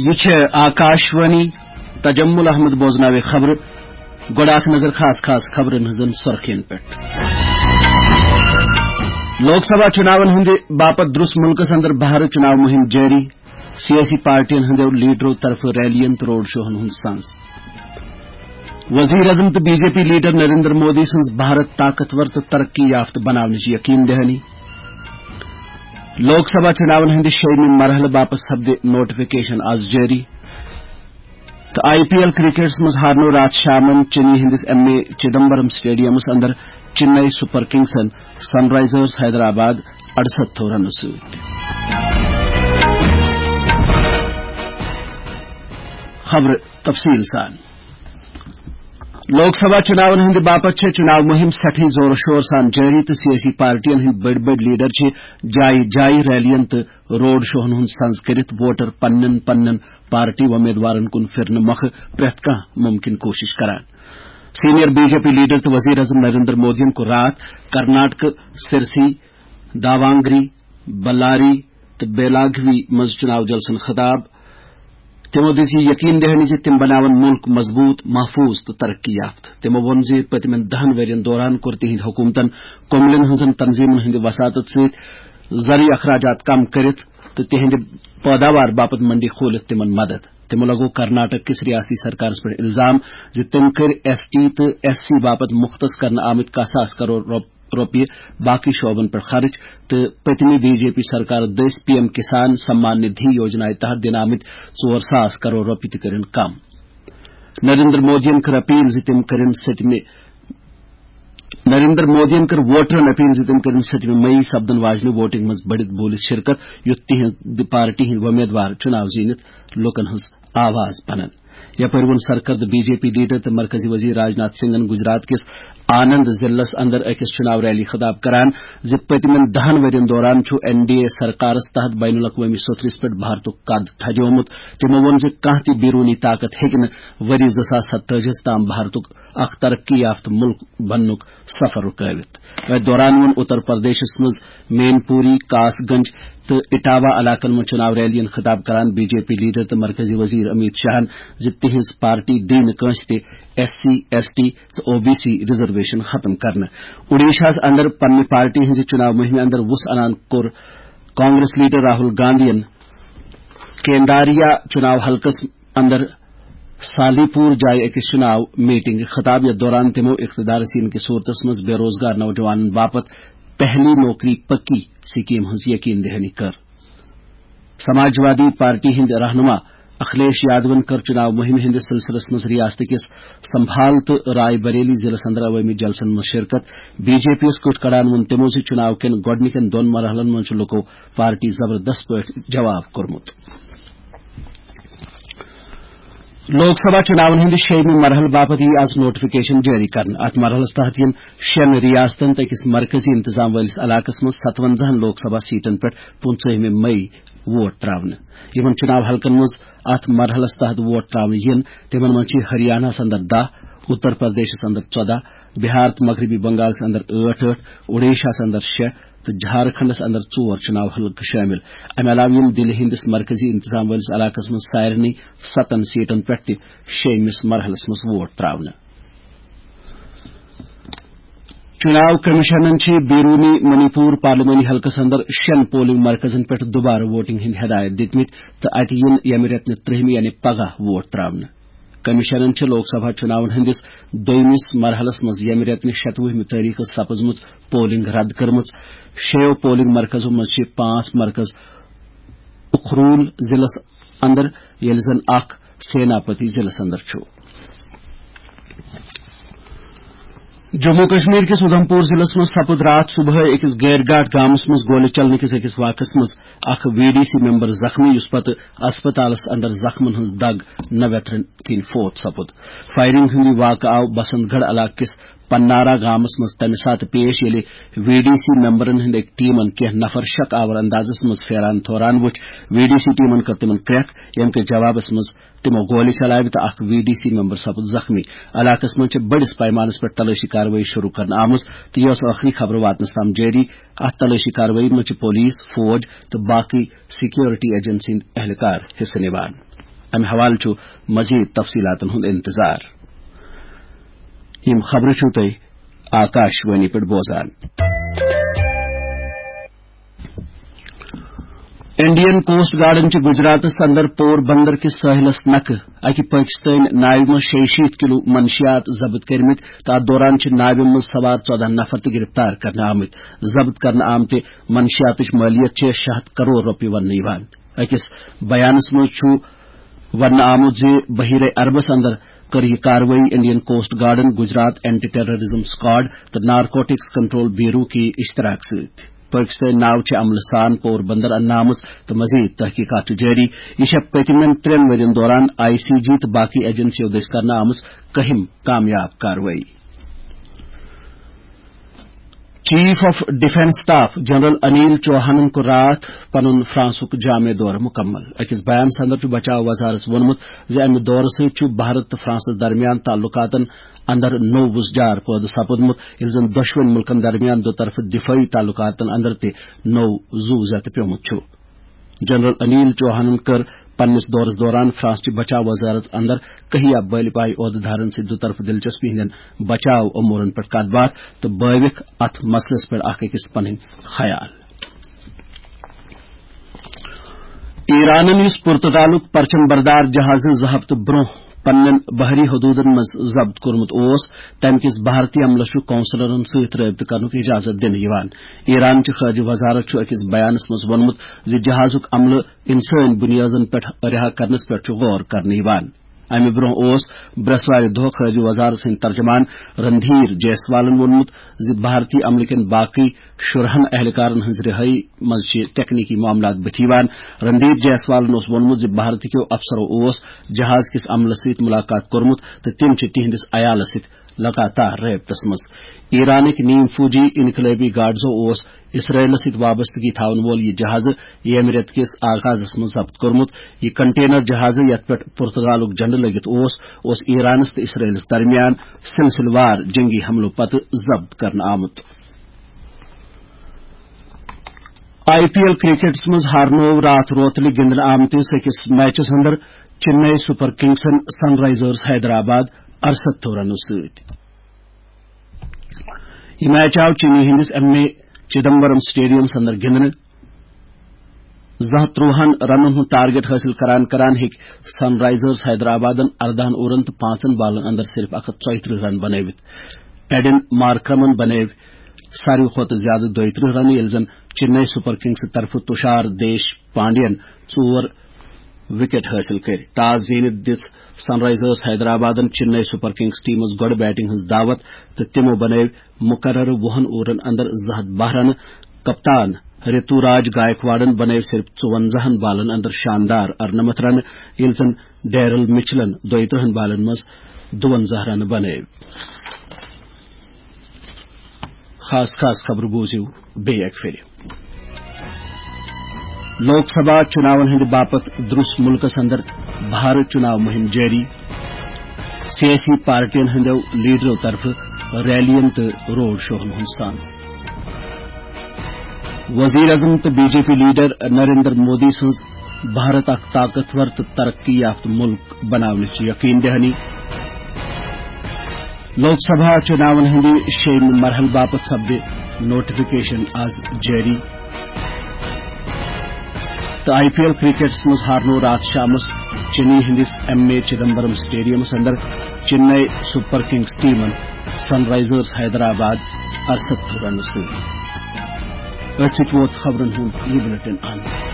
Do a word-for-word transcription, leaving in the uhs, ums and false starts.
یہِ چھِ آکاشوانی۔ تجمل احمد بوزناوِ خبرٕ۔ گۄڈٕ اکھ نظر خاص خاص خبرن ہٕنٛزن سُرخین پٮ۪ٹھ۔ لوک سبھا چُناون ہٕنٛدِ باپتھ درٛس مُلکس اندر بہارٕ چُناو مُہِم جٲری۔ سیٲسی پارٹین ہٕنٛدیو لیڈرو طرفہٕ ریلین تہٕ روڈ شوہن ہُنٛد سنز۔ وزیر اعظم تہٕ B J P leader Narendra Modi سٕنٛز بھارت طاقتور تہٕ ترقی یافتہٕ بناونٕچ یقین دہانی۔ لوک سبھا چُناون ہٕنٛدِ شیٚیِمہِ مرحلہٕ باپتھ سپدِ نوٹیفکیشن از جٲری۔ تہٕ آئی پی ایل کرکٹس منٛز ہارنو راتھ شامن چنئی ہٕنٛدِس ایم اے چدمبرم سٹیڈیمس اندر چنئی سپر کنگسن سن رائزرز حیدرآباد اڑسَتھ رنو سۭتۍ۔ خبرٕ تفصیل سان۔ لوک سبھا چُناون ہٕنٛدِ باپتھ چھےٚ چُناو مُہِم سٮ۪ٹھٕے زورٕ شور سان جٲری تہٕ سیٲسی پارٹین ہٕنٛدۍ بٔڑۍ بٔڑۍ لیڈر چھِ جایہِ جایہِ ریلین تہٕ روڈ شوہن ہُنٛد سنز کٔرِتھ ووٹر پننٮ۪ن پننٮ۪ن پارٹی وۄمیدوارن کُن پھِرنہٕ مۄکھٕ پرٛٮ۪تھ کانٛہہ مُمکِن کوٗشِش کران۔ Senior B J P leader تہٕ وزیر اعظم نریندر مودیَن کوٚر راتھ کرناٹکہٕ سرسی، داوانگری، بلاری تہٕ بیلاگوی منٛز چُناو جلسن خطاب۔ تِمو دِژ یہِ یقین دہانی زِ تِم بناون مُلک مضبوٗط، محفوٗظ تہٕ ترقی یافتہٕ۔ تِمو ووٚن زِ پٔتمٮ۪ن دَہن ؤرین دوران کوٚر تِہنٛدِ حکوٗمتن کملن ہٕنٛزن تنظیمن ہٕنٛدِ وساطت سۭتۍ زرعی اخراجات کم کٔرِتھ تہٕ تِہنٛدِ پٲداوار باپتھ منڈی کھولِتھ تِمن مدد۔ تِمو لگوو کرناٹک کِس ریاستی سرکارس پٮ۪ٹھ الزام زِ تٔمۍ کٔرۍ ایس ٹی تہٕ ایس سی باپتھ مختص کرنہٕ آمٕتۍ کاہ ساس کرور رۄپ-، رۄپیہِ باقی شعبن پٮ۪ٹھ خرٕچ تہٕ پٔتمہِ بی جے پی سرکار دٔسۍ پی ایم کسان سمان ندھی یوجنایہِ تحت دِنہٕ آمٕتۍ ژور ساس کرور رۄپیہِ تہِ کٔرِن کم۔ نریندر مودیَن کٔر اپیل زِ تِم کٔرِن سٔتمہِ نریندر مودیَن کٔر ووٹرن اپیل زِ تِم کٔرِن سٔتمہِ مئی سپدن واجنہِ ووٹنگ منٛز بٔڑِتھ بوٗلِتھ شرکت، یُتھ تِہنٛدِ پارٹی ہٕنٛدۍ وۄمیدوار چُناو زیٖنِتھ لوٗکن ہٕنٛز آواز بنن۔ یپٲرۍ ووٚن سرکردٕ بی جے پی لیڈر تہٕ مرکزی وزیر راجناتھ سنگھن گجرات کِس آنند ضلعس اندر أکِس چُناو ریلی خطاب کران زِ پٔتمٮ۪ن دَہن ؤرین دوران چھُ این ڈی اے سرکارس تحت بین الاقوٲمی سطحس پٮ۪ٹھ بھارتُک قد تھدیومُت۔ تِمو ووٚن زِ کانٛہہ تہِ بیرونی طاقت ہیٚکہِ نہٕ ؤری زٕ ساس ستٲجی ہَس تام بھارتُک اکھ ترقی یافتہٕ مُلک بننُک سفر رُکٲوِتھ۔ أتھۍ دوران ووٚن اتر پردیشس منٛز مین پوری، کاس گنج تہٕ اٹاوا علاقن منٛز چُناو ریلین خطاب کران بی جے پی لیڈر تہٕ مرکزی وزیر امیت شاہن زِ تِہنٛز پارٹی دِیہِ نہٕ کٲنٛسہِ تہِ ایس سی، ایس ٹی تہٕ او بی سی ریزرویشن ختم کرنہٕ۔ اوڈیشاہس اندر پننہِ پارٹی ہٕنٛزِ چُناو مُہِمہِ اندر وُژھ انان کوٚر کانگریس لیڈر راہل گاندھین کینداریا چُناو حلقس اندر سالی پور جایہِ أکِس چُناو میٹنگ خطاب، یتھ دوران تِمو اقتدارس یِنہٕ کِس صورتس منٛز بے روزگار نوجوانن باپتھ پہلی نوکری پکی سکیم ہٕنٛز یقین دہانی کٔر۔ سماجوادی پارٹی ہٕنٛدۍ رہنما اکھلیش یادون کٔر چُناو مُہِمہِ ہٕنٛدِس سلسلس منٛز ریاست کِس سمبھال تہٕ راے بریلی ضلعس اندر عوٲمی جلسن منٛز شرکت۔ بی جے پی یَس کٔٹ کڑان ووٚن تِمو زِ چُناو کٮ۪ن گۄڈٕنِکٮ۪ن دۄن مرحلن منٛز چھُ لُکو پارٹی زبردست پٲٹھۍ جواب کوٚرمُت۔ لوک سبھا چُناون ہٕنٛدِ شیٚیِمہِ مرحلہٕ باپتھ یِیہِ آز نوٹیفکیشن جٲری کرنہٕ۔ اتھ مرحلس تحت یِن شیٚن ریاستن تہٕ أکِس مرکزی انتظام وٲلِس علاقس منٛز ستونزاہن لوک سبھا سیٹن پٮ۪ٹھ پٕنٛژٕہمہِ مئی ووٹ تراونہٕ۔ یِمن چُناو حلقن منٛز اتھ مرحلس تحت ووٹ تراونہٕ یِن، تِمن منٛز چھِ ہریاناہس اندر دَہ، اتر پردیشس اندر ژۄداہ، بہار تہٕ مغربی بنگالس اندر ٲٹھ ٲٹھ، اوڈیشاہس اندر شےٚ تہٕ جھارکھنڈس اندر ژور چُناو حلقہٕ شٲمِل۔ امہِ علاوٕ یِن دِلہِ ہٕنٛدِس مرکزی انتظام وٲلِس علاقس منٛز سارنٕے ستن سیٹن پٮ۪ٹھ تہِ شیٚیِمِس مرحلس منٛز ووٹ تراونہٕ۔ چُناو کمیشنن چھِ بیرونی منی پور پارلیمانی حلقس اندر شیٚن پولنگ مرکزن پٮ۪ٹھ دوبارٕ ووٹنگ ہٕنٛدۍ ہدایت دِتمٕتۍ تہٕ اتہِ یِن ییٚمہِ رٮ۪تہٕ نہِ ترٛہمہِ یعنی پگاہ ووٹ تراونہٕ۔ کمیشنن چھِ لوک سبھا چُناون ہٕنٛدِس دوٚیمِس مرحلس منٛز ییٚمہِ رٮ۪تہٕ نہِ شتوُہمہِ تٲریخہٕ سپٕزمٕژ پولنگ رد کٔرمٕژ۔ شیٚیو پولنگ مرکزو منٛز چھِ پانٛژھ مرکز اخرول ضلعس اندر، ییٚلہِ زن اکھ سیناپتی ضلعس اندر چھُ۔ جموں کشمیر کِس اُدھمپور ضلعس منٛز سپُد راتھ صبحٲے أکِس گیرگاٹ گامس منٛز گولہِ چلنہٕ کِس أکِس واقعس منٛز اکھ وی ڈی سی ممبر زخمی، یُس پتہٕ اسپتالس اندر زخمن ہٕنٛز دگ نہ ویترن کِنۍ فوت سپُد۔ فائرنگ ہُنٛد یہِ واقعہٕ آو بسنت گڑھ علاقہٕ کِس پنارا گامس منٛز تمہِ ساتہٕ پیش، ییٚلہِ وی ڈی سی ممبرن ہٕنٛدِ أکۍ ٹیمن کینٛہہ نفر شک آور اندازس منٛز پھیران تھوران وُچھ۔ وی ڈی سی ٹیمن کٔر تِمن کرٛٮ۪کھ، ییٚمہِ کہِ جوابس منٛز تِمو گولہِ چلاوِ تہٕ اکھ وی ڈی سی ممبر سپُد زخمی۔ علاقس منٛز چھِ بٔڑِس پیمانس پٮ۪ٹھ تلٲشی کاروٲیی شروع کرنہٕ آمٕژ تہٕ یہِ ٲس ٲخری خبرٕ واتنس تام جٲری۔ اتھ تلٲشی کاروٲیی منٛز چھِ پولیس، فوج تہٕ باقٕے سیکیورٹی ایجنسی ہٕنٛدۍ اہلکار حصہٕ نِوان۔ امہِ حوالہٕ چھُ مزید تفصیلاتن ہُنٛد انتظار۔ یِم خبرٕ چھِو تُہۍ آکاش وانی پٮ۪ٹھ بوزان۔ انڈین کوسٹ گارڈن چھِ گجراتس اندر پور بندر کِس ساحلس نکھٕ اکہِ پٲکستٲنۍ ناوِ منٛز شیٚیہِ شیٖتھ کلو منشیات ضبط کٔرمٕتۍ تہٕ اتھ دوران چھِ ناوِ منٛز سوار ژۄدہ نفر تہِ گرفتار کرنہٕ آمٕتۍ۔ ضبط کرنہٕ آمتہِ منشیاتٕچ مٲلیت چھِ شےٚ ہتھ کرور رۄپیہِ وننہٕ یِوان۔ أکِس بیانس منٛز چھُ وننہٕ آمُت زِ بحیرہ عربس اندر کٔر یہِ کاروٲیی انڈین کوسٹ گارڈن، گجرات اینٹی ٹیررزم سکواڈ تہٕ نارکوٹکس کنٹرول بیورو کہِ اشتراک سۭتۍ۔ پٲکستٲنۍ ناو چھِ عملہٕ سان پور بندر اننہٕ آمٕژ تہٕ مزید تحقیقات چھِ جٲری۔ یہِ چھےٚ پٔتمٮ۪ن ترٛٮ۪ن ؤرین دوران آئی سی جی تہٕ باقی ایجنسیو دٔسۍ کرنہٕ آمٕژ کٔہِم کامیاب کاروٲیی۔ Chief of defence staff general Anil چوہانن کوٚر راتھ پنُن فرانسُک جامع دورٕ مکمل۔ أکِس بیانس اندر چھُ بچاو وزارت ووٚنمُت زِ امہِ دورٕ سۭتۍ چھُ بھارت تہٕ فرانسس درمیان تعلقاتن اندر نوٚو وُژجار پٲدٕ سپُدمُت، ییٚلہِ زن دۄشوٕنۍ مُلکن درمیان دُطرفہٕ دفٲعی تعلقاتن اندر تہِ نوٚو زُو زیتہٕ پیومُت چھُ۔ جنرل انیل چوہانن کٔر پننِس دورس دوران فرانسچہِ بچاو وزارت اندر کہیا بٲلۍ پایہِ عہدٕ دارن سۭتۍ دُطرفہٕ دلچسپی ہٕنٛدٮ۪ن بچاو امورن پٮ۪ٹھ کتھ باتھ تہٕ بٲوِکھ اتھ مسلس پٮ۪ٹھ اکھ أکِس پنٕنۍ خیال۔ ایرانن، یُس پرتگالُک پرچم بردار جہازٕ زٕ ہفتہٕ برونٛہہ پننٮ۪ن بحری حدودن منٛز ضبط کوٚرمُت اوس، تمہِ کِس بھارتی عملس چھُ قونصلرن سۭتۍ رٲبطہٕ کرنُک اجازت دِنہٕ یِوان۔ ایران چہِ خارجہ وزارت چھُ أکِس بیانس منٛز ووٚنمُت زِ جہازُک عملہٕ انسٲنی بنیادن پٮ۪ٹھ رہا کرنس پٮ۪ٹھ چھُ غور کرنہٕ یِوان۔ امہِ برونٛہہ اوس برٛٮ۪سوارِ دۄہ خارجہ وزارت سٕنٛدۍ ترجمان رندھیر جیسوالن ووٚنمُت زِ بھارتی عملہٕ کٮ۪ن باقٕے شُرہن اہلکارن ہٕنٛز رہٲیی منٛز چھِ تکنیکی معاملات بٕتھِ یِوان۔ رندھیر جیسوالن اوس ووٚنمُت زِ بھارت کیو افسرو اوس جہاز کِس عملس سۭتۍ ملاقات کوٚرمُت تہٕ تِم چھِ تِہنٛدِس عیالس سۭتۍ لگاتار رٲبطس منٛز۔ ایرانٕکۍ نیم فوجی انقلٲبی گارڈزو اوس اسرائیلس سۭتۍ وابستگی تھاون وول یہِ جہازٕ ییٚمہِ رٮ۪تہٕ کِس آغازس منٛز ضبط کوٚرمُت۔ یہِ کنٹینر جہازٕ، یتھ پٮ۪ٹھ پرتگالُک جھنڈٕ لٔگِتھ اوس، اوس ایرانس تہٕ اسرائیلس درمیان سلسلہٕ وار جنگی حملو پتہٕ ضبط کرنہٕ آمُت۔ آئی پی ایل کرکٹس منٛز ہارنوو راتھ روتلہِ گِنٛدنہٕ آمتِس أکِس میچس اندر چنئی سپر کنگسن سن رائزرز حیدرآباد ارستتھو رنو سۭتۍ۔ یہِ میچ آو چنئی ہٕنٛدِس ایم اے چدمبرم سٹیڈیمس اندر گِنٛدنہٕ۔ زٕ ہتھ ترٛوہن رنن ہُنٛد ٹارگیٹ حٲصِل کران کران ہیٚکۍ سن رائزرز حیدرآبادن اردہن اوورن تہٕ پانٛژن بالن اندر صرف اکھ ہتھ ژۄیہِ ترٕٛہ رن بنٲوِتھ۔ ایڈن مارکرمن بنٲوۍ ساروی کھۄتہٕ زیادٕ دۄیہِ ترٕٛہ رنہٕ، ییٚلہِ زن چنئی سپر کنگز طرفہٕ تشار دیش پانڈین ژور وکٹ حٲصِل کٔرۍ۔ ٹاس زیٖنِتھ دِژ سن رائزرز حیدرآبادن چنئی سپر کنگز ٹیمس گۄڈٕ بیٹنگ ہٕنٛز دعوت تہٕ تِمو بنٲوۍ مقررٕ وُہن اوورن اندر زٕ ہتھ باہ رنہٕ۔ کپتان رتو راج گائیکواڑن بنٲوۍ صرف ژُونزاہن بالن اندر شاندار ارنمتھ رنہٕ، ییٚلہِ زن ڈیرل مچلن دۄیہِ ترٕٛہن بالن منٛز دُونزاہ رنہٕ بنٲوۍ۔ خاص خاص خبرٕ بوٗزِو بیٚیہِ اکہِ پھِرِ۔ لوک سبھا چُناون ہٕنٛدِ باپتھ درٛوس مُلکس اندر بھارت چُناو مُہِم جٲری۔ سیٲسی پارٹین ہٕنٛدیو لیڈرو طرفہٕ ریلین تہٕ روڈ شوہن ہُنٛد سانس۔ وزیر اعظم تہٕ B J P leader Narendra Modi سٕنٛز بھارت اکھ طاقتور تہٕ ترقی یافتہٕ مُلک بناونٕچ یقین دہانی۔ لوک سبھا چُناون ہٕنٛدِ شیٚیِمہِ مرحلہٕ باپتھ سپدِ نوٹیفکیشن از جٲری۔ تہٕ آئی پی ایل کرکٹس منٛز ہارنوو راتھ شامس چنئی ہٕنٛدِس ایم اے چدمبرم سٹیڈیمس اندر چنئی سپر کنگز ٹیمن سن رائزرز حیدرآباد ارستتھو رنو سۭتۍ۔ أتھۍ سۭتۍ ووت خبرن ہُنٛد یہِ بلیٹن اند۔